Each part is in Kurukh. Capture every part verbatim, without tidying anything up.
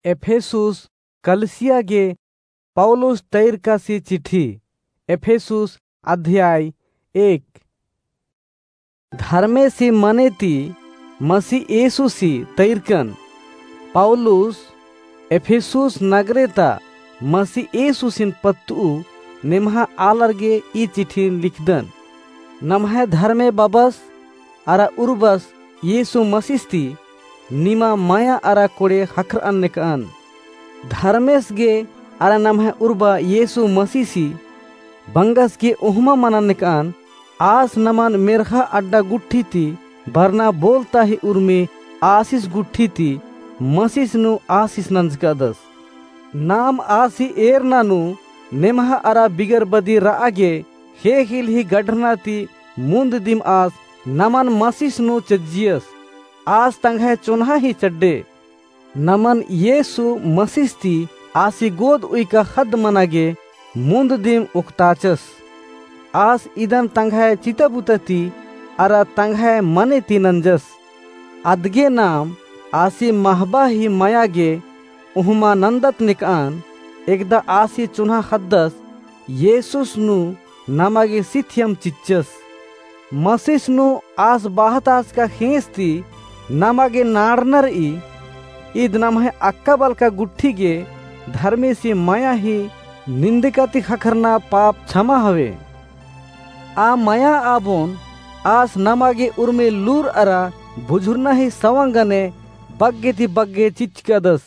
एफेसुस कलिसिया गे पौलुस तैरकासी चिट्ठी। एफेसुस अध्याय एक। धर्मेसी मने ती मसी येसुसी तैरकन। पौलुस एफेसुस नगरे ता मसी येसुसिन पत्तू नेम्हा आलर गे ई चिट्ठिन लिखदन। नम्है धर्मे बबस अरा उर्बस येसु मसीस ती निमा मया अरा कोड़े ख़क्खरअन नेकअन। धर्मेस गे अरा नम्है उर्बा येसु मसीसी बंगस गे ओहमा मनन नेकअन। आस नमन मेर्ख़ा अड्डा गुट्ठी ती बरना बोलता ही उर्मी आसिस गुट्ठी ती मसीस नू आसिस नंजकादस। नाम आसी एरना नू नेम्हा अरा बिगर बदी रआ गे ख़ेख़ेल ही गढ़रना ती मुन्द दिम आस नमन मसीस नू चज्जियस। आस तंग्है चोन्हा ही चड्डे। नमन येसु मसीस ती आसी गोद उइका ख़द्द मना गे मुन्द दिम उक्ताचस। आस इदन तंग्है चिताबुता ती अरा तंग्है मने ती नंजस। अदगे नाम आसी महबा ही मया गे ओहमा नन्दत नेकअन। एकदा आसी चोन्हा ख़द्दस येसुस नू नमा गे सिथियम चिच्चस। मसीस नू आस बाहताचका ख़ेंस ती नमा गे नाड़ना रई। ईद नम्है अक्का बलका गुट्ठी गे धर्मेसी मया ही निन्दका ती ख़क्खरना पाप छमा हवे। आ मया आबोन आस नमा गे उर्मी लूर अरा बुझुरना ही सवंग गने बग्गे ती बग्गे चिच्चकादस।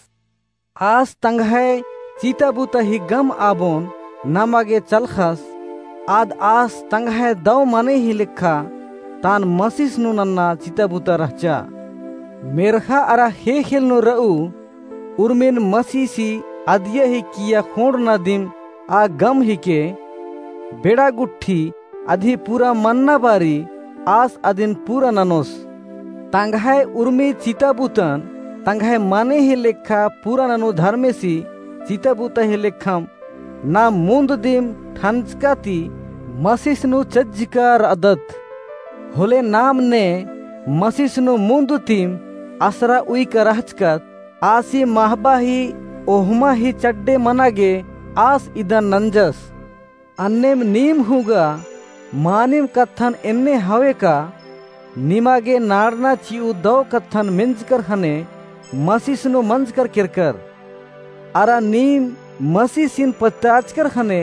आस तंग्है चिताबुता ही गम आबोन नमा गे चलख़स। आद आस तंग्है दौ मने ही लेखा तान मसीस नू नन्ना चिताबुता रहचा। मेर्ख़ा अरा ख़ेख़ेल नू रऊ उर्मिन मसीसी अदिया ही किया ख़ोंड़ना दिम आ गम हिके। बेड़ा गुट्ठी अदी पूरा मन्ना बारी आस अदिन पूरा ननोस। तंग्है उर्मी चिताबुतन तंग्है मने ही लेखा पूरा ननू धर्मेसी चिताबुता ही लेखम नाम मुन्द दिम ठंजका ती मसीस नू चज्जका रअदत। होले नाम ने मसीस नू मुन्द तिम असरा उइका रहचकत। आसी महबा ही ओहमा ही चड्डे मना गे आस इदन नंजस। अन्नेम नीम हूँ गा मानिम कत्थन एन्ने हवे का, निमा गे नाड़ना चिऊ दौ कत्थन मेंजकर ख़ने मसीस नू मंजकर केरकर। अरा नीम मसीसिन पत्ताचकर ख़ने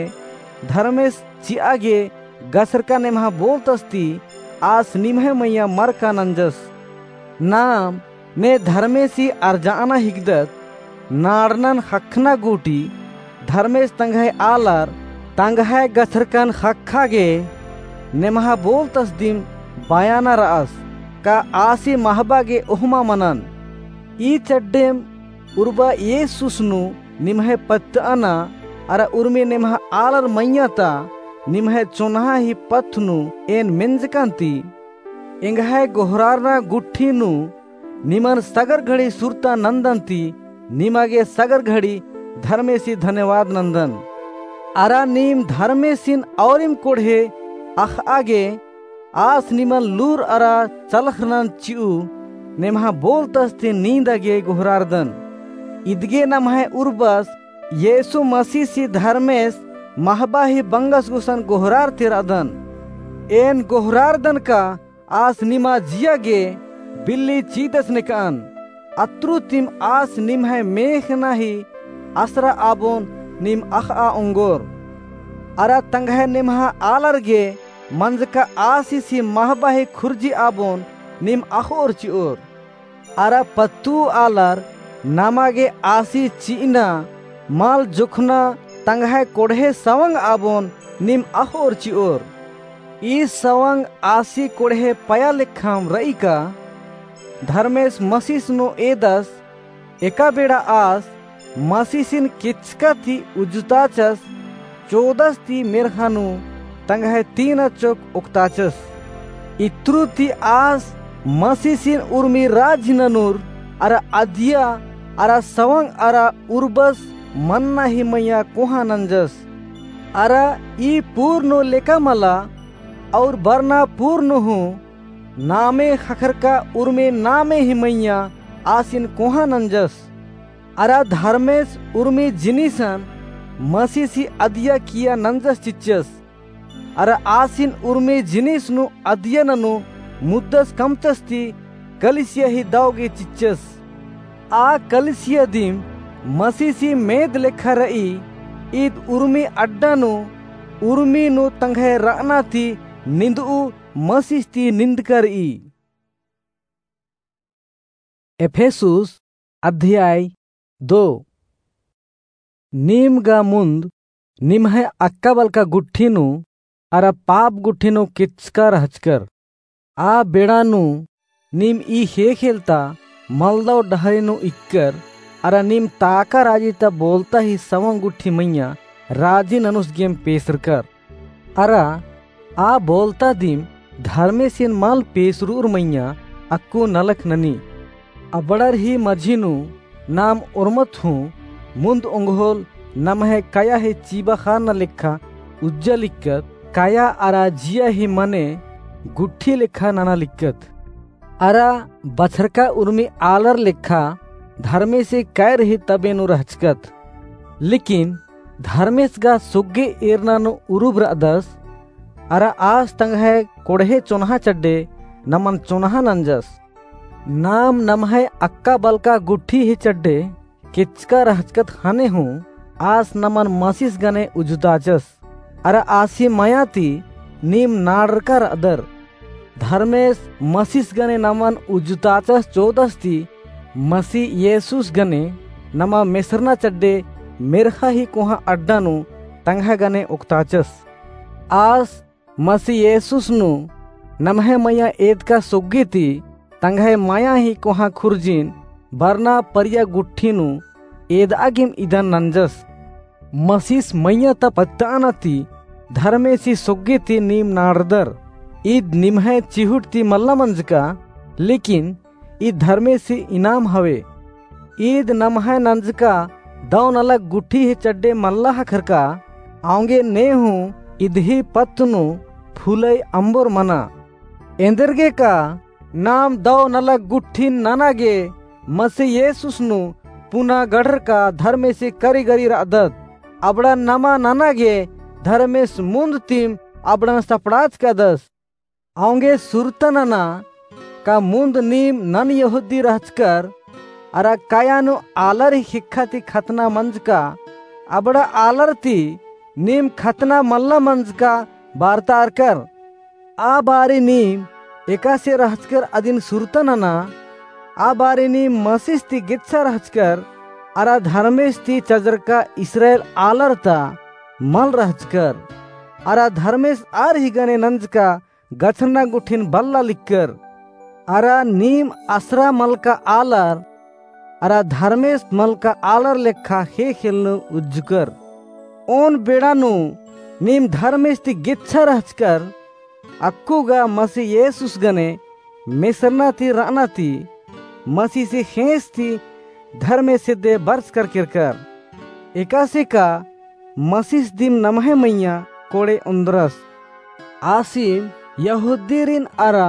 धर्मेस चिआ गे गछरका नेम्हा बोलतस ती आस निम्है मइय्याँ मरका नंजस। नाम ने धर्मेसी अरजाअना हिकदत। नाड़नन ख़क्खना गूटी धर्मेस तंग्है आलर तंग्है गछरकन ख़क्खा गे नेम्हा बोलतस दिम बयाना रअस का आसी महबा गे ओहमा मनन। ई चड्डेम उर्बा येसुस नू निम्है पत्तअना अरा उर्मी नेम्हा आलर मइय्याँ ता निम्है चोन्हा ही पत्त नू एन मेंजकन ती एंग्है गोहरारना गुट्ठी नू निमन सगर घड़ी सुरता नन्दन ती निमा गे सगर घड़ी धर्मेसी धन्यवाद नन्दन। अरा नीम धर्मेसिन औरिम कोड़हे अख़आ गे आस निमन लूर अरा चलख़रनन चिऊ नेम्हा बोलतस ती नींदा गे गोहरारदन। इदगे नम्है उर्बस येसु मसीसी धर्मेस महबा ही बंगस गुसन गोहरार ती रअदन। एन गोहरारदन का आस निमा जिया गे बिल्ली चीदस नेकअन। अत्रु तिम आस निम्है मेख़ना ही असरा आबोन नीम अख़आ ओंगोर। अरा तंग्है नेम्हा आलर गे मंजका आसिसी महबा ही खुर्जी आबोन नीम अख़ओर चिओर। अरा पत्तू आलर नमा गे आसी चिअना मल जोखना तंग्है कोड़हे सवंग आबोन नीम अख़ओर चिओर। ई सवंग आसी कोड़हे पया लेखम रई का धर्मेस मसीस नू एदस। एका बेड़ा आस मसीसिन केचका ती उज्जुताचस, चोदस ती मेर्ख़ा नू तंग्है तीना चोक ओक्ताचस। इत्रु ती आस मसीसिन उर्मी राजी ननूर अरा अदिया अरा सवंग अरा उर्बस मन्ना ही मइय्याँ कोहाँ नंजस। अरा ई पूर नू लेका मला और बरना पूर नू हूँ नामे ख़क्खरका उर्मी नामे ही मइय्याँ आसिन कोहाँ नंजस। अरा धर्मेस उर्मी जिनिसन मसीसी अदिया किया नंजस चिच्चस। अरा आसिन उर्मी जिनिस नू अदिया ननू मुद्दस कमचस ती कलिसिया ही दव गे चिच्चस। आ कलिसिया दिम मसीसी मेद लेखा रई। ईद उर्मी अड्डा नू उर्मी नू तंग्है रअना ती निंदऊ मसीस ती निंदका रई। एफेसुस अध्याय दो। नीम गा मुन्द निम्है अक्का बलका गुट्ठी नू अरा पाप गुट्ठी नू केचका रहचकर। आ बेड़ा नू नीम ई ख़ेख़ेल ता मलदव डहरे नू इक्कर अरा नीम ताका राजी ता बोलता ही सवं गुट्ठी मइय्याँ राजी ननुस गेम पेसरकर। अरा आ बोलता दिम धर्मेसिन मल पेसरूर मइय्याँ अक्कु नलख ननी। अबड़र ही मझी नू नाम ओर्मत हूँ मुन्द ओंगोल नम्है कया ही चीबा ख़ारना लेखा उज्जा लिक्कत, कया अरा जिया ही मने गुट्ठी लेखा नना लिक्कत। अरा बछरका उर्मी आलर लेखा धर्मेसी कै रई तबे नू रहचकत। लेकिन धर्मेस गा सोग्गे एरना नू उरुब रअदस, अरा आस तंग्है कोड़हे चोन्हा चड्डे नमन चोन्हा नंजस। नाम नम्है अक्का बलका गुट्ठी ही चड्डे केचका रहचकत ख़ने हूँ आस नमन मसीस गने उज्जुताचस। अरा आसी मया ती नीम नाड़रका रअदर। धर्मेस मसीस गने नमन उज्जुताचस चोदस ती मसी येसुस गने नमा मेसरना चड्डे मेर्ख़ा ही कोहाँ अड्डा नू तंग्है गने ओक्ताचस। आस मसी येसुस नू नम्है मया एदका सोग्गी ती तंग्है मया ही कोहाँ खुर्जिन बरना परिया गुट्ठी नू एदआ गेम इदन नंजस। मसीस मइय्याँ ता पत्ताना ती धर्मेसी सोग्गी ती नीम नाड़दर। ईद निम्है चिहुट ती मल्ला मंजका, लेकिन ईद धर्मेसी इनाम हवे। ईद नम्है नंजका दव नलख गुट्ठी ही चड्डे मल्ला ख़क्खरका, औंगे ने हूँ इदही पत्त नू फूलई अम्बोर मना। एन्देरगे का नाम दव नलख गुट्ठिन नना गे मसी येसुस नू पुना गढ़रका धर्मेसी करिगरी रअदत। अबड़ा नमा नना गे धर्मेस मुन्द तिम अबड़न सपड़ाचकादस। औंगे सुरता नना का मुन्द नीम नन यहूदी रहचकर अरा कया नू आलर ही ख़ेक्खा ती खतना मंजका, अबड़ा आलर ती नीम खतना मल्ला मंजका बारतारकर। आ बारी नीम एकासे रहचकर अदिन सुरता नना, आ बारी नीम मसीस ती गेच्छा रहचकर अरा धर्मेस ती चजरका इस्राएल आलर ता मल रहचकर। अरा धर्मेस आर ही गने नंजका गछरना गुट्ठिन बल्ला लिक्कर। अरा नीम असरा मलका आलर अरा धर्मेस मलका आलर लेखा ख़ेख़ेल नू उज्जुकर। ओन बेड़ा नू नीम धर्मेस ती गेच्छा रहचकर, अक्कु गा मसी येसुस गने मेसरना ती रअना ती मसीसी ख़ेंस ती धर्मेस एदे बरचकर केरकर। एकासे का मसीस दिम नम्है मइय्याँ कोड़े ओन्द्रस। आसिम यहूदीरिन अरा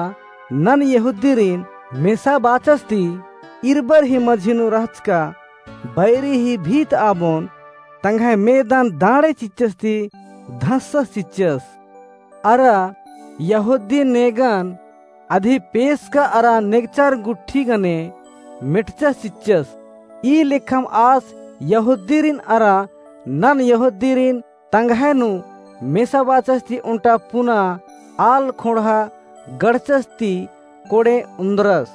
नन यहूदीरिन मेसा बाचस ती इरबर ही मझी नू रहचका बैरी ही भीत आबोन तंग्है मेदन दाँड़े चिच्चस ती धंसस चिच्चस। अरा यहूदी नेगन अदी पेसका अरा नेगचार गुट्ठी गने मेटचस चिच्चस। ई लेखम आस यहूदीरिन अरा नन यहूदीरिन तंग्है नू मेसा बाचस ती ओन्टा पुना आल ख़ोंड़हा गड़चस ती कोड़े ओन्द्रस।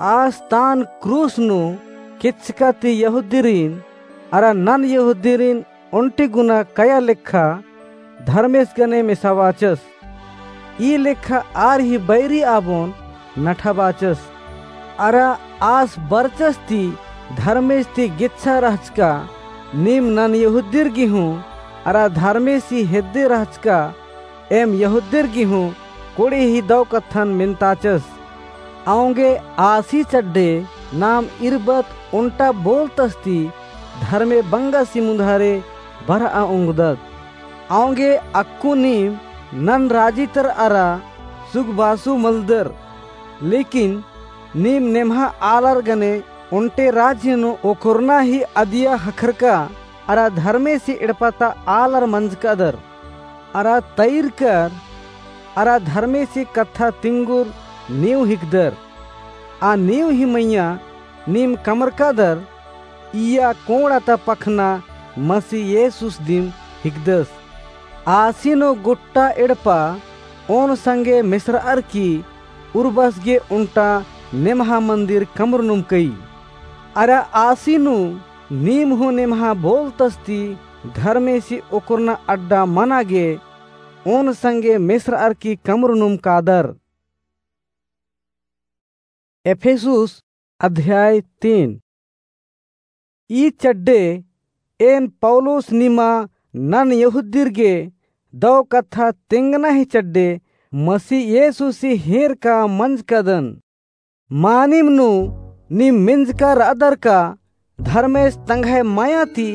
आस तान क्रूस नू केचका ती यहूदीरिन अरा नन यहूदीरिन ओन्टी गुना कया लेखा धर्मेस गने मेसा बाचस। ई लेखा आर ही बैरी आबोन नठा बाचस। अरा आस बरचस ती धर्मेस ती गेच्छा रहचका, नीम नन यहूदीर गे हूँ अरा धर्मेसी हेद्दे रहचका, एम यहूदीर गे हूँ कोड़े ही दव कत्थन मेन्ताचस। औंगे आसी चड्डे नाम इरबत ओन्टा बोलतस ती धर्मे बंगसी मुन्धारे बरआ ओंगदत। औंगे अक्कु नीम नन राजी तर अरा सुगबासु मलदर, लेकिन नीम नेम्हा आलर गने ओन्टे राजी नू ओकोरना ही अदिया ख़क्खरका अरा धर्मेसी एड़पा ता आलर मंजकादर। अरा तइरकर अरा धर्मेसी कत्था तिंगुर नींव हिकदर। आ नींव ही मइय्याँ नीम कमरकादर, इय्या कोंड़ा ता पखना मसी येसुस दिम हिकदस। आसी नू गोट्टा एड़पा ओन संगे मेसरअर की उर्बस गे ओन्टा नेम्हा मन्दिर कमरनुम कई। अरा आसी नू नीम हूँ नेम्हा बोलतस ती धर्मेसी ओकोरना अड्डा मना गे ओन संगे मेसरअर की कमरनुम कादर। एफेसुस अध्याय तीन। ई चड्डे एन पौलुस निमा नन यहूदीर गे दौ कत्था तेंगना ही चड्डे मसी येसुसी हेरका मंजकादन। मानिम नू नीम मेंजका रअदर का धर्मेस तंग्है मया ती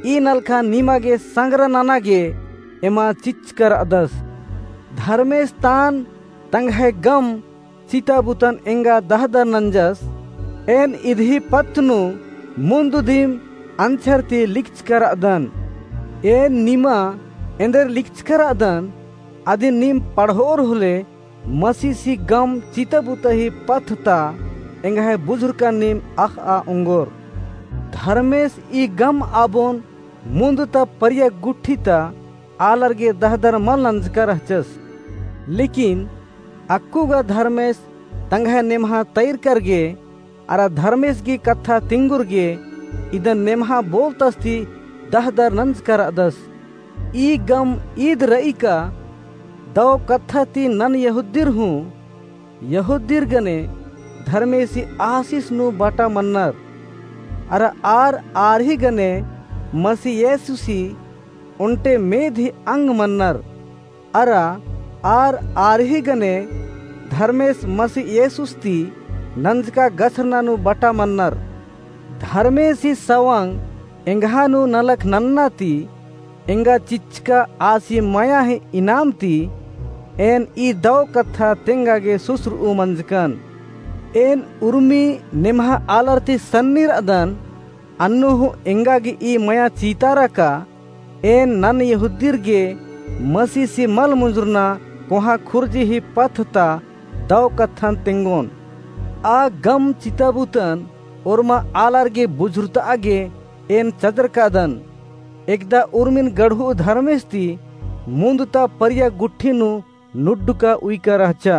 ई नलखा निमा गे संग्रह नना गे एमा चिच्चका रअदस। धर्मेस तान तंग्है गम चिताबुतन एंगा दहदर नंजस। एन इदही पत्त नू मुन्द दिम अंछर ती लिखचका रअदन। एन निमा एन्देर लिखचका रअदन, अदिन नीम पढ़ओर होले मसीसी गम चिताबुता ही पत्त ता एंग्है बुझुरका नीम अख़आ ओंगोर। धर्मेस ई गम आबोन मुन्द ता परिया गुट्ठी ता आलर गे दहदर मल नंजका रहचस। लेकिन अक्कु गा धर्मेस तंग्है नेम्हा तइरकर गे अरा धर्मेस गही कत्था तिंगुर गे इदन नेम्हा बोलतस ती दहदर नंजका रअदस। ई गम ईद रई का दौ कत्था ती नन यहूदीर हूँ यहूदीर गने धर्मेसी आसिस नू बाटा मन्नर। अरा आर आर ही गने मसी येसुसी ओन्टे मेद ही अंग मन्नर। अरा आर आर ही गने धर्मेस मसी येसुस ती नंजका गछरना नू बाटा मन्नर। धर्मेसी सवंग एंग्हा नू नलख नन्ना ती एंगा चिच्चका आसी मया ही इनाम ती एन ई दौ कत्था तेंगा गे सुसरऊ मंजकन। एन उर्मी नेम्हा आलर ती सन्नी रअदन, अन्नु हूँ एंगा गे ई मया चीतारा का एन नन यहूदीर गे मसीसी मल मुंजुरना कोहाँ खुर्जी ही पत्त ता दौ कत्थन तेंगोन। आ गम चिताबुतन ओर्मा आलर गे बुझुरतआ गे एन चदरकादन। एकदा उर्मिन गढ़ू धर्मेस ती मुन्द ता परिया गुट्ठी नू नुड्डका उइका रहचा।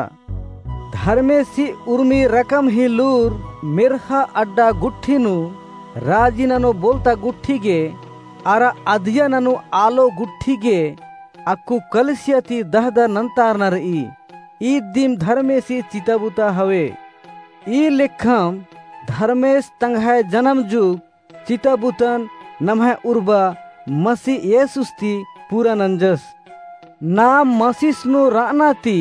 धर्मेसी उर्मी रकम ही लूर मेर्ख़ा अड्डा गुट्ठी नू, राजी ननो बोलता गुट्ठी गे, अरा अदिया ननो आलो गुट्ठी गे अक्कु कलिसिया ती दहदर नन्तारना रई। ईद दिम धर्मेसी चिताबुता हवे। ई लेखम धर्मेस तंग्है जनम जुग चिताबुतन नम्है उर्बा मसी येसुस ती पूरा नंजस। नाम मसीस नू रअना ती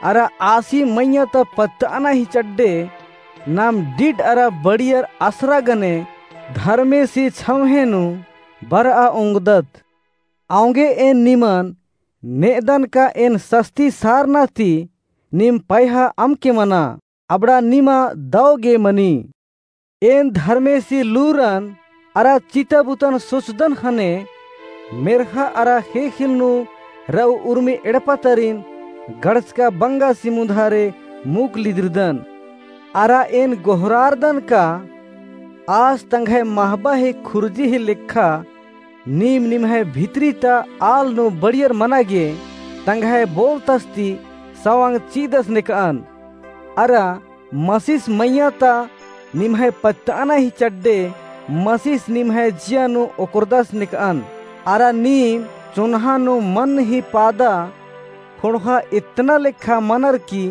अरा आसी मइय्याँ ता पत्तअना ही चड्डे नाम डिड अरा बड़ियर असरा गने धर्मेसी छम्हे नू बरआ ओंगदत। औंगे एन निमन नेदन का एन सस्ती सारना ती नीम पैहा अमके मना, अबड़ा निमा दौ गे मनी। एन धर्मेसी लूरन अरा चिताबुतन सोचदन ख़ने मेर्ख़ा अरा ख़ेख़ेल नू रऊ उर्मी एड़पा तरिन गड़चका बंगासी मुन्धारे मुख लिदिरदन। अरा एन गोहरारदन का आस तंग्है महबा ही खुर्जी ही लेखा नीम निम्है भितरी ता आल नू बड़ियर मना गे तंग्है बोलतस ती सवंग चिदस नेकअन। अरा मसीस मइय्याँ ता निम्है पत्तअना ही चड्डे मसीस निम्है जिया नू ओकरदस नेकअन। अरा नीम चोन्हा नू मन ही पादा ख़ोंड़हा इतना लेखा मनर की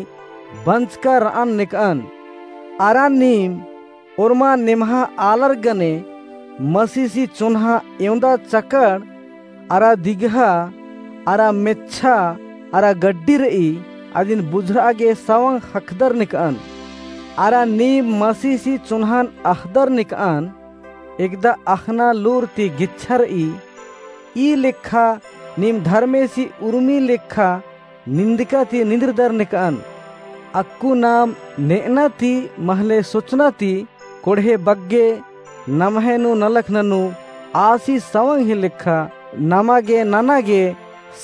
बंचका रअन नेकअन। अरा नीम ओर्मा नेम्हा आलर गने मसीसी चोन्हा एवंदा चकड़ अरा दिगहा अरा मेच्छा अरा गड्डी रई, अदिन बुझुरआ गे सवंग ख़क्खदर नेकअन। अरा नीम मसीसी चोन्हन अख़दर नेकअन, एकदा अख़ना लूर ती गेच्छा रई। ई लेखा नीम धर्मेसी उर्मी लेखा निंदका ती निंद्रदर नेकअन। अक्कु नाम नेअना ती महले सोचना ती कोड़हे बग्गे नम्है नू नलख ननू आसी सवंग ही लेखा नमा गे नना गे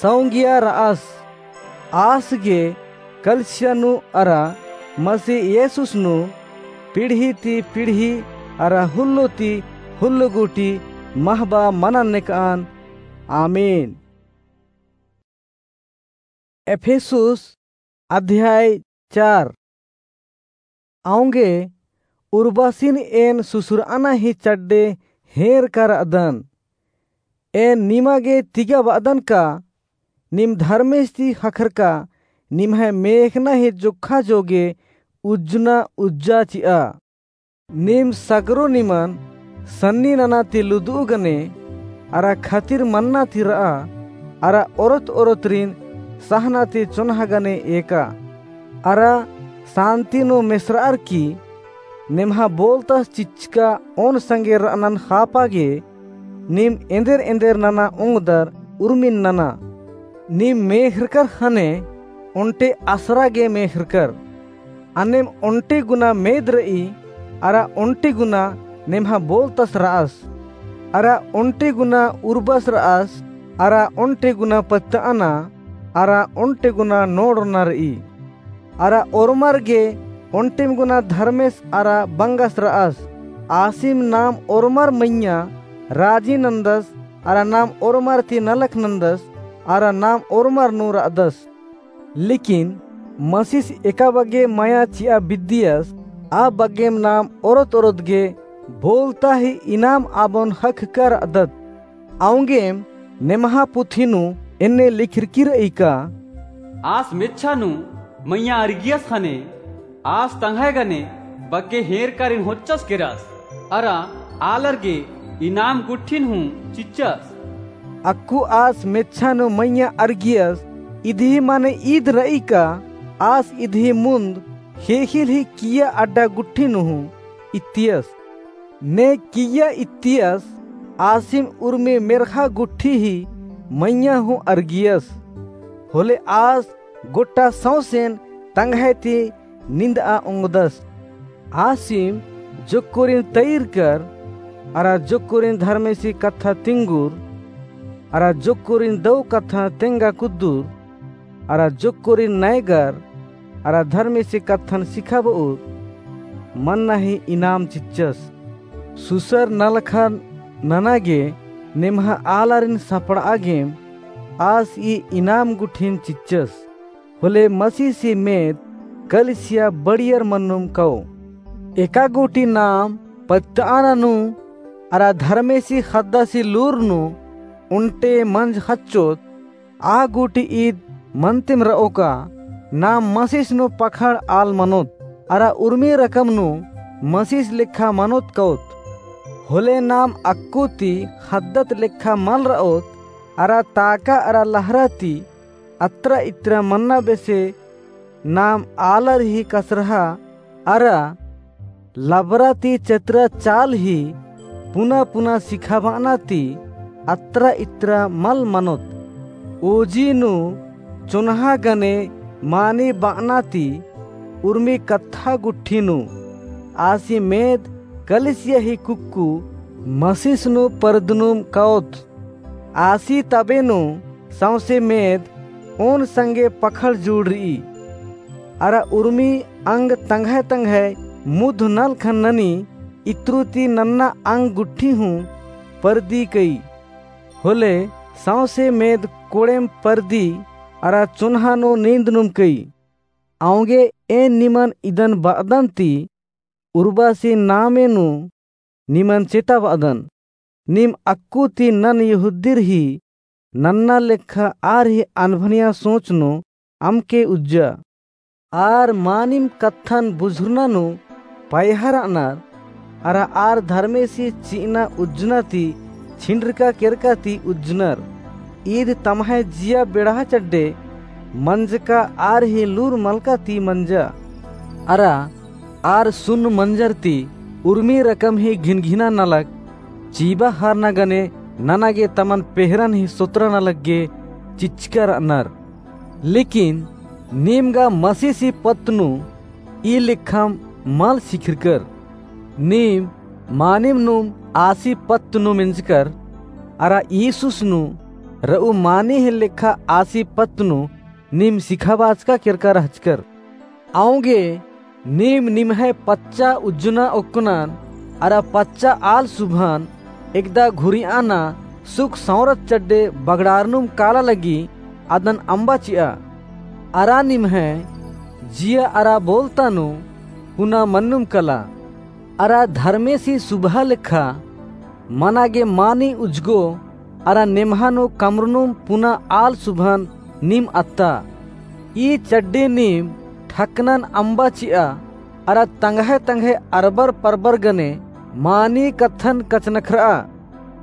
सौंगिया र'अस। आस गे कलिसिया नू अरा मसीह येसुस नू पीढ़ी ती पीढ़ी अरा हुल्लो ती हुल्लो गूटी महबा मनन नेक'अन। आमीन। एफेसुस अध्याय चार। औंगे उर्बासिन एन सुसुर'अना ही चड्डे हेंरका र'अदन। एन निमा गे तिगा ब'अदन का नीम धर्मेस ती ख़क्खरका निम्है मेख़ना ही जोक्खा जोगे उज्जना उज्जा चि'आ। नीम सगरो निमन सन्नी नना ती लुदु'उ गने अरा खतिर मन्ना ती र'आ अरा ओरोत ओरोतरिन सहना ती चोन्हा गने एका। अरा सान्ति नू मेसर'अर की नेम्हा बोलतस चिच्चका ओन संगे र'अनन ख़ापा गे नीम एन्देर एन्देर नना ओंगदर उर्मिन नना। नीम मेख़रकर ख़ने ओन्टे असरा गे मेख़रकर। अन्नेम ओन्टे गुना मेद र'ई अरा ओन्टे गुना नेम्हा बोलतस र'अस। अरा ओन्टे गुना उर्बस र'अस अरा ओन्टे गुना पत्त'अना अरा ओन्टे गुना नोड़'अना र'ई। अरा ओर्मर गे ओन्टेम गुना धर्मेस अरा बंगस र'अस। आसिम नाम ओर्मर मइय्याँ राजी नन्दस अरा नाम ओर्मर ती नलख नन्दस अरा नाम ओर्मर नू र'अदस। लेकिन मसीस एका बग्गे मया चि'आ बिद्दियस आ बग्गेम नाम ओरोत ओरोत गे बोलता ही इनाम आबोन ख़क्खका र'अदत। औंगेम नेम्हा पुथी नू एन्ने लिखरकी र'ई का। आस मेच्छा नू मइय्याँ अरगियस ख़ने आस तंग्है गने बग्गे हेंरकारिन होच्चस केरस अरा आलर गे इनाम गुट्ठिन हूँ चिच्चस। अक्कु आस मेच्छा नू मइय्याँ अरगियस इदही मने ईद र'ई का आस इदही मुन्द ख़ेख़ेल ही किइय्या अड्डा गुट्ठी नू हूँ इत्तियस। ने किइय्या इत्तियस आसिम उर्मी मेर्ख़ा गुट्ठी ही मइय्याँ हूँ अरगियस। होले आस गोट्टा सौंसेन तंग्है ती निंद'आ ओंगदस। आसिम जोक्कोरिन तइरकर अरा जोक्कोरिन धर्मेसी कत्था तिंगुर अरा जोक्कोरिन दौ कत्था तेंगा कुद्दुर अरा जोक्कोरिन नैगर अरा धर्मेसी कत्थन सिखाब'उर मन्ना ही इनाम चिच्चस। सुसर नलखा नना गे नेम्हा आलारिन सपड़'आ गेम आस ई इनाम गुट्ठिन चिच्चस। होले मसीसी मेद कलिसिया बड़ियर मन्नुम कओ। एका गूटी नाम पत्त'अना नू अरा धर्मेसी ख़द्दासी लूर नू ओन्टे मंज ख़च्चोत। आ गूटी ईद मन्तिम र'ओ का नाम मसीस नू पखड़ आल मनोत अरा उर्मी रकम नू मसीस लेखा मनोत कओत। होले नाम अक्कु ती ख़द्दत लेखा मल र'ओत अरा ताका अरा लहरा ती अत्रा इत्रा मन्ना बेसे नाम आलर ही कसरहा अरा लबरा ती चतरा चाल ही पुना पुना सिखाब'अना ती अत्रा इत्रा मल मनोत। ओजी नू चोन्हा गने मानी ब'अना ती उर्मी कत्था गुट्ठी नू आसी मेद कलिसिया ही कुक्कु मसीस नू परदनुम कओत। आसी तबे नू सौंसे मेद ओन संगे पखड़ जुड़र'ई। अरा उर्मी अंग तंग्है तंग्है मुध नलखन ननी इत्रु ती नन्ना अंग गुट्ठी हूँ परदी कई। होले सौंसे मेद कोड़ेम परदी अरा चोन्हा नू नींदनुम कई। औंगे एन निमन इदन ब'अदन ती उर्बासी नामे नू निमन चेताब'अदन। नीम अक्कु ती नन यहूदीर ही नन्ना लेखा आर ही अनभनिया सोच नू अमके उज्जा। आर मानिम कत्थन बुझुरना नू पयहा र'अनर, अरा आर धर्मेसी चि'अना उज्जना ती छिंडरका केरका ती उज्जनर। ईद तम्है जिया बेड़हा चड्डे मंजका आर ही लूर मलका ती मंजा। अरा आर सुन्न मंजर ती उर्मी रकम ही घिनघिना नलख चीबा हारना गने नना गे तमन पेहरन ही सोतरा नलख गे चिच्चका र'अनर। लेकिन नीम गा मसीसी पत्त नू ई लेखम मल सिखरकर। नीम मानिम नुम आसी पत्त नू मेंजकर, अरा ईसुस नू रऊ मानी ही लेखा आसी पत्त नू नीम सिखाबाचका केरका रहचकर। औंगे नीम निम्है पच्चा उज्जना ओक्कनन, अरा पच्चा आल सुभान एकदा घुरियाना सुख सौंरत चड्डे बगड़ारनुम काला लगी अदन अम्बा चिआ। अरा निम्है जिया अरा बोलता नू पुना मन्नुम कला। अरा धर्मेसी सुबहा लेखा मना गे मानी उज्जगो अरा नेम्हा नू कमरनुम पुना आल सुभान नीम अत्ता। ई चड्डे नीम ठकनन अम्बा चिआ, अरा तंग्है तंग्है अरबर परबर गने मानी कत्थन कचनखरआ।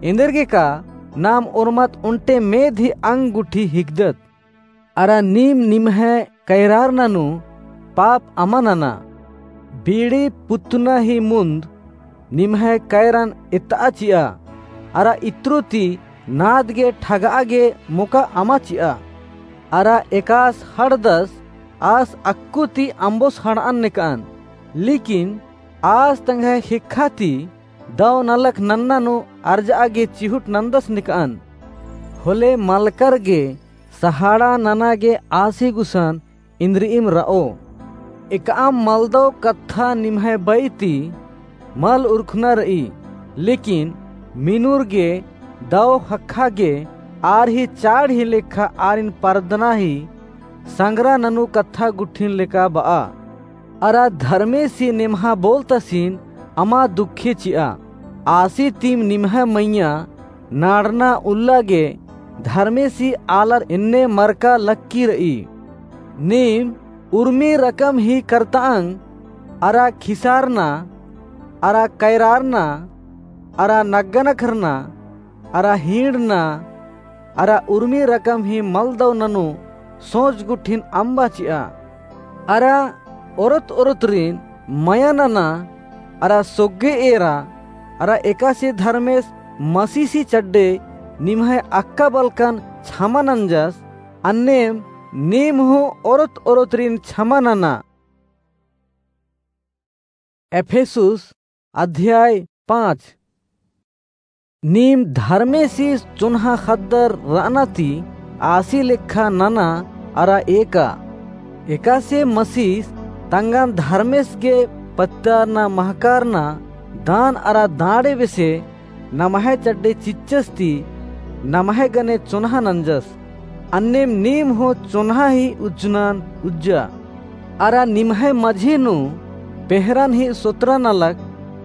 एन्देरगे का नाम ओर्मत ओन्टे मेद ही अंग गुट्ठी हिकदत। अरा नीम निम्है कैरारना नू पाप अमा नना। बीड़ी पुत्तना ही मुन्द निम्है कैरन एत्तआ चिआ, अरा इत्रु ती नाद गे ठगआ गे मोका अमा चिआ। अरा एकास हड़दस आस अक्कु ती अम्बोस हड़अन नेकअन, लेकिन आस तंग्है ख़ेक्खा ती दौ नलख नन्ना नू अर्जआ गे चिहुट नन्दस नेकअन। होले मलकर गे सहाड़ा नना गे आसी गुसन इन्द्रिइम रओ। एकअम मलदौ कत्था निम्है बई ती मल उरखना रई, लेकिन मिनुर गे दौ ख़क्खा गे आर ही चाड़ ही लेखा आरिन परदना ही संगरा ननू कत्था गुट्ठिन लेका बआ। अरा धर्मेसी नेम्हा बोलतसिन अमा दुखे चिआ। आसी तिम निम्है मइय्याँ नाड़ना उल्ला गे धर्मेसी आलर एन्ने मरका लक्की रई। नीम उर्मी रकम ही करतांग, अरा खिसारना, अरा कैरारना, अरा नग्गनखरना, अरा हींड़ना, अरा उर्मी रकम ही मलदौ ननू सोच गुट्ठिन अम्बा चिआ। अरा ओरत ओरतरिन मया नना, अरा सोग्गे एरा, अरा एकासे धर्मेस मसीसी चड्डे निम्है अक्का बलकन छमा नंजस, अन्नेम नीम हूँ ओरत ओरतरिन छमा नना। एफेसुस अध्याय पाँच। नीम धर्मेसी चोन्हा ख़द्दर रअना ती आसी लेखा नना अरा एका। एकासे मसीस तंगन धर्मेस गे पत्तारना महकारना दान अरा दांड़े बेसे नम्है चड्डे चिच्चस ती नम्है गने चोन्हा नंजस। अन्नेम नीम हूँ चोन्हा ही उज्जनन उज्जा। अरा निम्है मझी नू पेहरन ही सोतरा नलख,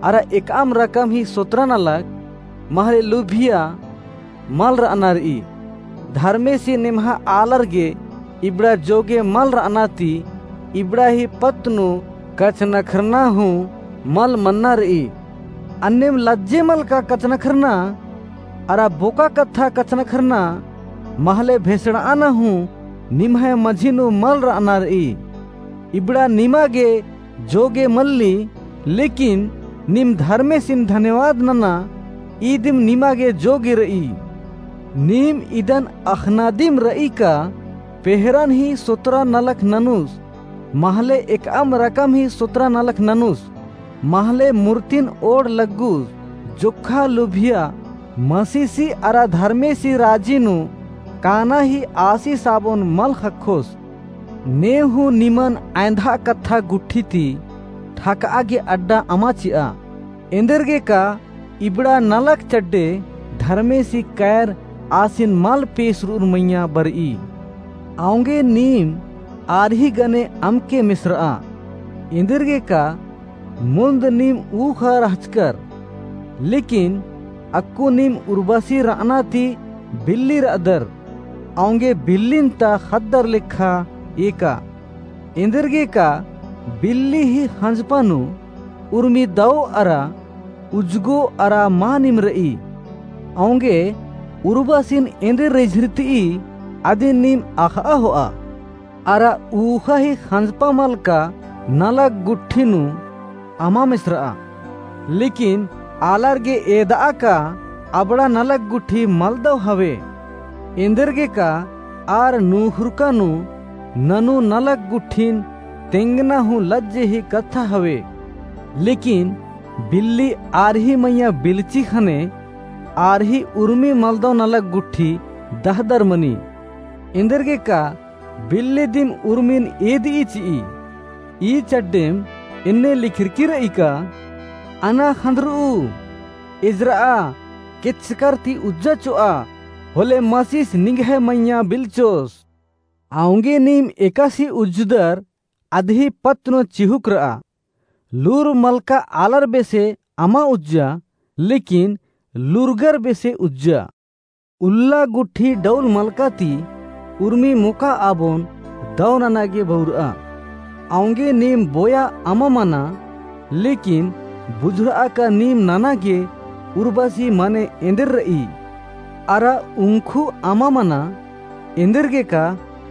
अरा एकअम रकम ही सोतरा नलख, महले लुभिया मल रअना रई। धर्मेसी नेम्हा आलर गे इबड़ा जोगे मल रअना ती इबड़ा ही पत्त नू कछनखरना हूँ मल मन्ना रई। अन्नेम लज्जे मलका कछनखरना अरा बोका कत्था कछनखरना महले भेसड़ाना हूँ निम्है मझी नू मल रअना रई। इबड़ा निमा गे जोगे मल्ली, लेकिन नीम धर्मेसिन धन्यवाद नना, ईदिम निमा गे जोगे रई। नीम इदन अख़ना दिम रई का पेहरन ही सोतरा नलख ननुस, महले एकअम रकम ही सोतरा नलख ननुस, महले मुर्तिन ओड़ लग्गुस, जोक्खा लुभिया मसीसी अरा धर्मेसी राजी नू काना ही आसी साबोन मल ख़क्खोस। ने हूँ निमन अँयधा कत्था गुट्ठी ती ठकआ गे अड्डा अमा चिआ। एन्देरगे का इबड़ा नलख चड्डे धर्मेसी कैर आसिन मल पेसरुर मइय्याँ बरई। औंगे नीम आर ही गने अमके मेसरआ। एन्देरगे का मुन्द नीम ऊख़ा रहचकर, लेकिन अक्कु नीम उर्बसी रअना ती बिल्ली रअदर, औंगे बिल्लिन ता ख़द्दर लेखा एका। एन्देरगे का बिल्ली ही ख़ंजपा नू उर्मी दौ अरा उज्जगो अरा मानिम रई। औंगे उर्बसिन एन्देर रिझरतई अदिन नीम अख़आ होआ। अरा ऊख़ा ही ख़ंजपा मलका नलख गुट्ठी नू अमा मेसरआ। लेकिन आलर गे एदआ का अबड़ा नलख गुट्ठी मलदौ हवे। एन्देरगे का आर नूख़ुरका नू ननू नलख गुट्ठिन तेंगना हूँ लज्जे ही कत्था हवे। लेकिन बिल्ली आर ही मइय्याँ बिलची ख़ने आर ही उर्मी मलदौ नलख गुट्ठी दहदर मनी। एन्देरगेका बिल्ली दिम उर्मिन एदई चिई। ई चड्डेम एन्ने लिखरकी रई का, अना ख़न्दरऊ, एजरआ, केचकर ती उज्जा चोआ, होले मसीस निंग्है मइय्याँ बिलचोस। औंगे नीम एकासे उज्जदर अदही पत्त नू चिहुक रआ। लूर मलका आलर बेसे अमा उज्जा, लेकिन लूरगर बेसे उज्जा। उल्ला गुट्ठी डौल मलका ती उर्मी मोका आबोन दौ नना गे बउरआ। औंगे नीम बोया अमा मना, लेकिन बुझुरआ का नीम नना गे उर्बासी मने एन्देर रई। अरा उंखु अमा मना, एन्देरगेका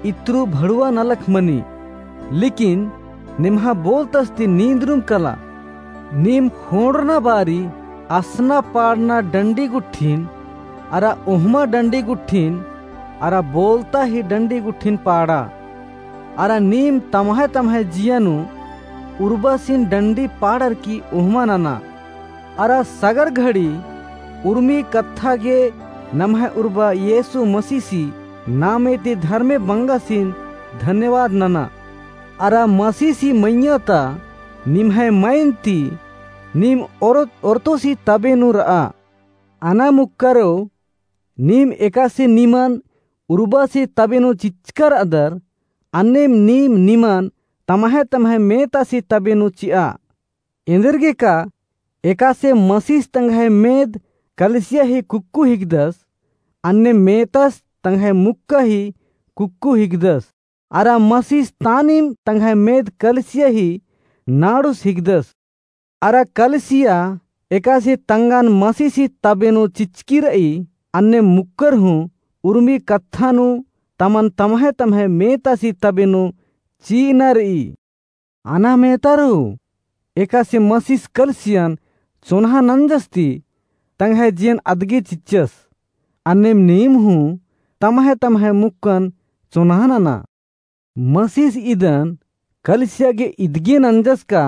इत्रु भड़ुवा नलख मनी। लेकिन निम्हा बोलतस ती नींदरुम कला। नीम ख़ोंड़रना बारी असना पाड़ना डंडी गुट्ठिन, अरा ओहमा डंडी गुट्ठिन, अरा बोलता ही डंडी गुट्ठिन पाड़ा। अरा नीम तम्है तम्है जिया नू उर्बासिन डंडी पाड़रकी ओहमा नना। अरा सगर घड़ी उर्मी कत्था गे नम्है उर्बा येसु मसीसी नामे ती धर्मे बंगासिन धन्यवाद नना। अरा मसीसी मइय्याँ ता निम्है मइन ती नीम ओरत-, ओरतोसी तबे नू रआ। अना मुक्करो, नीम एकासे निमन उर्बासी तबे नू चिच्चका रअदर, अन्नेम नीम निमन तम्है तम्है मेतासी तबे नू चिआ। एन्देरगेका एकासे मसीस तंग्है मेद कलिसिया ही कुक्कु हिकदस, अन्ने मेतस तंग्है मुक्का ही कुक्कु हिकदस। अरा मसीस तानिम तंग्है मेद कलिसिया ही नाड़ुस हिकदस। अरा कलिसिया एकासे तंगन मसीसी तबे नू चिच्चकी रई, अन्ने मुक्कर हूँ उर्मी कत्था नू तमन तम्है तम्है मेतासी तबे नू चिअना रई। अना मेतारो, एकासे मसीस कलिसियन चोन्हा नंजस ती तंग्है जियन अदगे चिच्चस। अन्नेम नीम हूँ तम्है तम्है मुक्कन चोन्हा नना। मसीस इदन कलिसिया गे इदगे नंजस का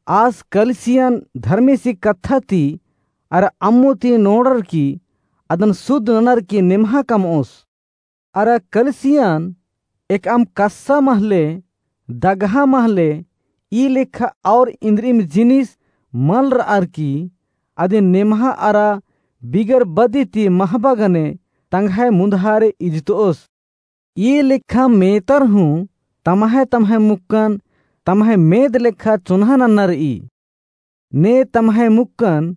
आस कलिसियन धर्मेसी कत्था ती अरा अम्मो ती नोड़रकी अदन सुद्ध ननरकी निम्हा कमओस। अरा कलिसियन एकअम कस्सा महले, दगहा महले, ई लेखा और इन्द्रिम जिनिस मल रअर की, अदिन नेम्हा अरा बिगर बदी ती महबा गने तंग्है मुन्धारे इजतओस। ई लेखा मेतर हूँ तम्है तम्है मुक्कन तम्है मेद लेखा चोन्हा नन्ना रई। ने तम्है मुक्कन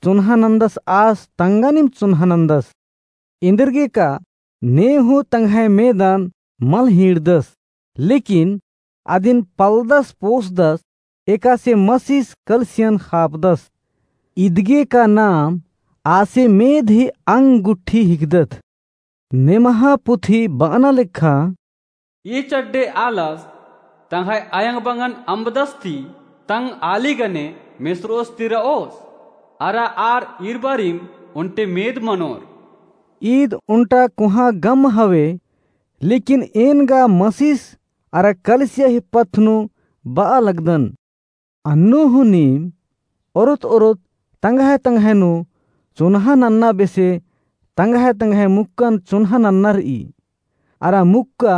चोन्हा नन्दस आस तंगनिम चोन्हा नन्दस। इन्द्रगे का ने हूँ तंग्है मेदन मल हीड़दस, लेकिन अदिन पलदस पोसदस, एकासे मसीस कलसियन खापदस। इदगे का नाम आसे मेद ही अंग गुट्ठी हिकदत। नेम्हा पुथी बअना लेखा, ई चड्डे आलस तंग्है अयंग बंगन अम्बदस ती तंग आली गने मेसरोस ती रओस, अरा आर ईरबारिम ओन्टे मेद मनोर। ईद ओन्टा कोहाँ गम हवे, लेकिन एन गा मसीस अरा कलसिया ही पत्त नू बआ लगदन। अन्नु हूँ नीम ओरोत ओरोत तंग्है तंग्है नू चोन्हा नन्ना बेसे तंग्है तंग्है मुक्कन चोन्हा नन्ना रई, अरा मुक्का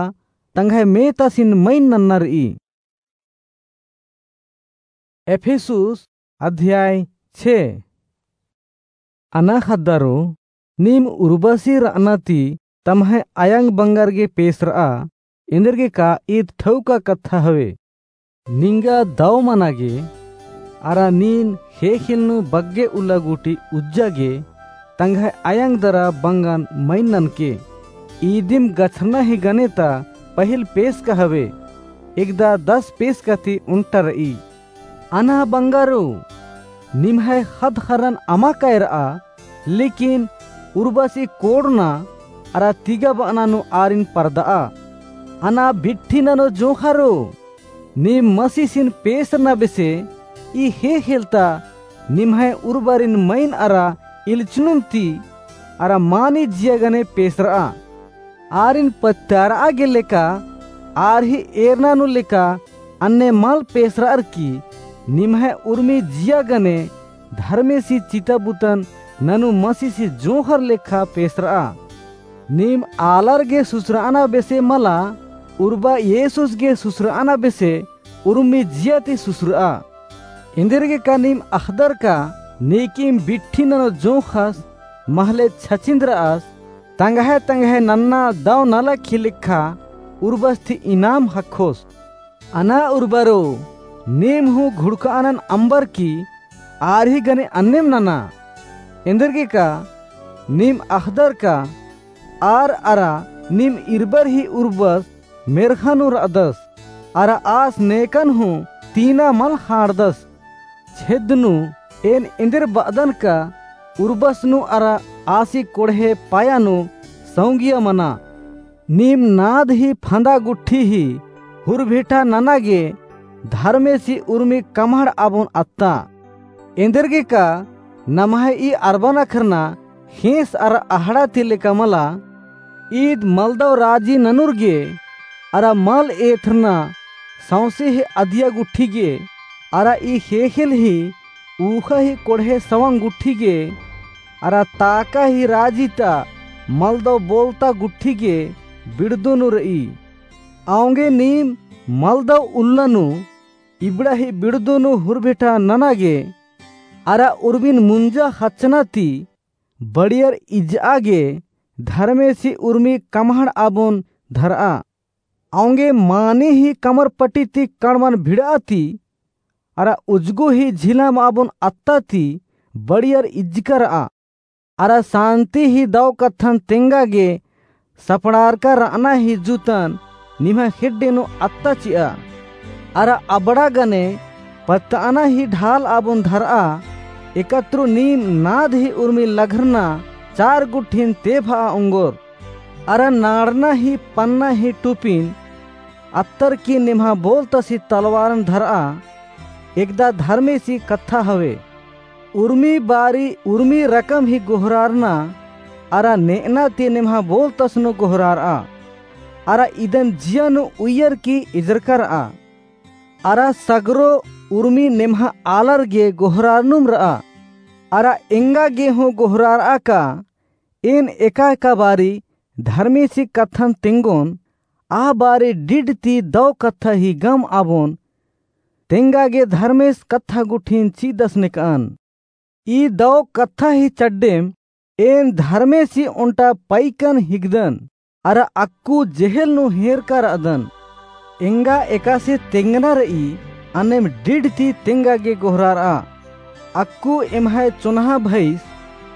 तंग्है मेतासिन मइन नन्ना रई। एफेसुस अध्याय छे। अना ख़द्दारो, नीम उर्बसी रअना ती तम्है अयंग बंगर गे पेसरआ, एन्देरगे का ईद ठौका कत्था हवे। निंगा दव मना गे, अरा नीन ख़ेख़ेल नू बग्गे उल्ला गूटी उज्जा गे, तंग्है अयंग दरा बंगन मइन ननके। ईदिम गछरना ही गने ता पहिल पेसका हवे, एकदा दस पेसका ती ओन्टा रई। अना बंगारो, निम्है ख़द्द ख़र्रन अमा कायरआ, लेकिन उर्बसी कोड़ना अरा तिगा बअना नू आरिन परदआ। अना बिट्ठी ननो जोंख़ारो, नीम मसीसिन पेसरना बेसे ई ख़ेख़ेल ता निम्है उर्बारिन मइन अरा इल्चनुम ती अरा मानी जिया गने पेसरआ। आरिन पत्तारआ गे लेका, आर ही एरना नू लेका अन्ने मल पेसरअर की निम्है उर्मी जिया गने धर्मेसी चिता बुतन ननु मसीसी जोंख़र लेखा पेसरआ। नीम आलर गे सुसरअना बेसे मला, उर्बा येसुस गे सुसरअना बेसे उर्मी जिया ती सुसरआ। एन्देरगेका नीम अख़दर का नेकिम बिट्ठी ननो जोंख़स महले छचिंदरअस, तंग्है तंग्है नन्ना दव नलख ही लेखा उर्बस ती इनाम ख़क्खोस। अना उर्बरो, नीम हूँ घुड़कआनन अम्बर की आर ही गने अन्नेम नना। एन्देरगेका नीम अख़दर का आर अरा नीम इरबर ही उर्बस मेर्ख़ा नू रअदस, अरा आस नेकन हूँ तीना मल ख़ांड़दस। छेद नू एन एन्देर बअदन का उर्बस नू अरा आसी कोड़हे पाया नू सौंगिया मना। नीम नाद ही फंदा गुट्ठी ही हुरभिठा नना गे धर्मेसी उर्मी कमहड़ आबोन अत्ता। एन्देरगेका नम्है ई अरबा नखरना ख़ेंस अरा अहड़ा ती लेका मला। ईद मलदव राजी ननुर गे अरा मल एथरना सौंसे ही अदिया गुट्ठी गे, अरा ई ख़ेख़ेल ही ऊख़ा ही कोड़हे सवंग गुट्ठी गे, अरा ताका ही राजी ता मलदव बोलता गुट्ठी गे बिड़दो नू रई। औंगे नीम मलदव उल्ला नू इबड़ा ही बिड़दो नू हुरभिठा नना गे, अरा उर्मिन मुंजा ख़च्चना ती बड़ियर इज्जआ गे धर्मेसी उर्मी कमहड़ आबोन धरआ। औंगे मानी ही कमर पटी ती कड़मन भिड़आ ती, अरा उजगो ही झिलम आबोन अत्ता ती बड़ियर इज्जका रआ। अरा सांती ही दव कत्थन तेंगा गे सपड़ारका रअना ही जुतन निम्है खेड्डे नू अत्ता चिआ। अरा अबड़ा गने पत्तअना ही ढाल आबोन धरआ, एकतरो नीम नाद ही उर्मी लघरना चार गुट्ठिन तेभआ ओंगोर। अरा नाड़ना ही पन्ना ही टुपिन अत्तर की निम्हा बोलतसी तलवारन धरआ, एकदा धर्मेसी कत्था हवे। उर्मी बारी उर्मी रकम ही गोहरारना, अरा नेअना ती निम्हा बोलतस नू गोहरारआ। अरा इदन जिया नू उइयर की इजरका रआ। अरा सगरो उर्मी निम्हा आलर गे गोहरारनुम रआ। अरा एंगा गे हूँ गोहरारआ का एन एका एका बारी धर्मेसी कत्थन तेंगोन, आ बारी डिड ती दव कत्था ही गम आबोन, तेंगा गे धर्मेस कत्था गुट्ठिन चिदस नेकअन। ई दव कत्था ही चड्डेम एन धर्मेसी ओन्टा पैकन हिकदन, अरा अक्कु जेहेल नू हेरका रअदन। एंगा एकासे तेंगना रई, अन्नेम डिड ती तेंगा गे गोहरारआ। अक्कु एम्है चोन्हा भइस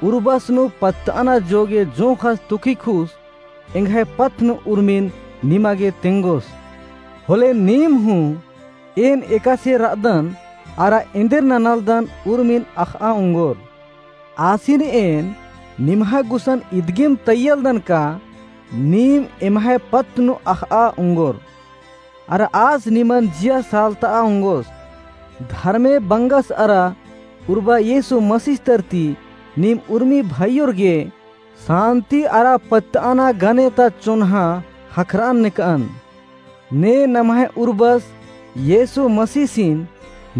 उर्बस नू पत्तअना जोगे जोंख़स तुखिखुस, एंग्है पत्त नू उर्मिन निमा गे तेंगोस। होले नीम हूँ एन एकासे रअदन, अरा एन्देर ननालदन उर्मिन अख़आ ओंगोर। आसिन एन निम्हा गुसन इदगेम तैयलदन का नीम एम्है पत्त नू अख़आ ओंगोर। अरा आस निमन जिया सालतआ ओंगोस। धर्मे बंगस अरा उर्बा येसु मसीह तरती नीम उर्मी भइयोर गे सांती अरा पत्तअना गने ता चोन्हा ख़क्खरअन नेकअन। ने नम्है उर्बस येसु मसीसिन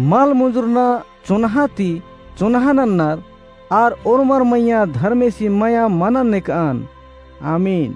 मल मुंजुरना चोन्हा ती चोन्हा नन्नर आर ओर्मर मइय्याँ धर्मेसी मया मनन नेकअन। आमीन।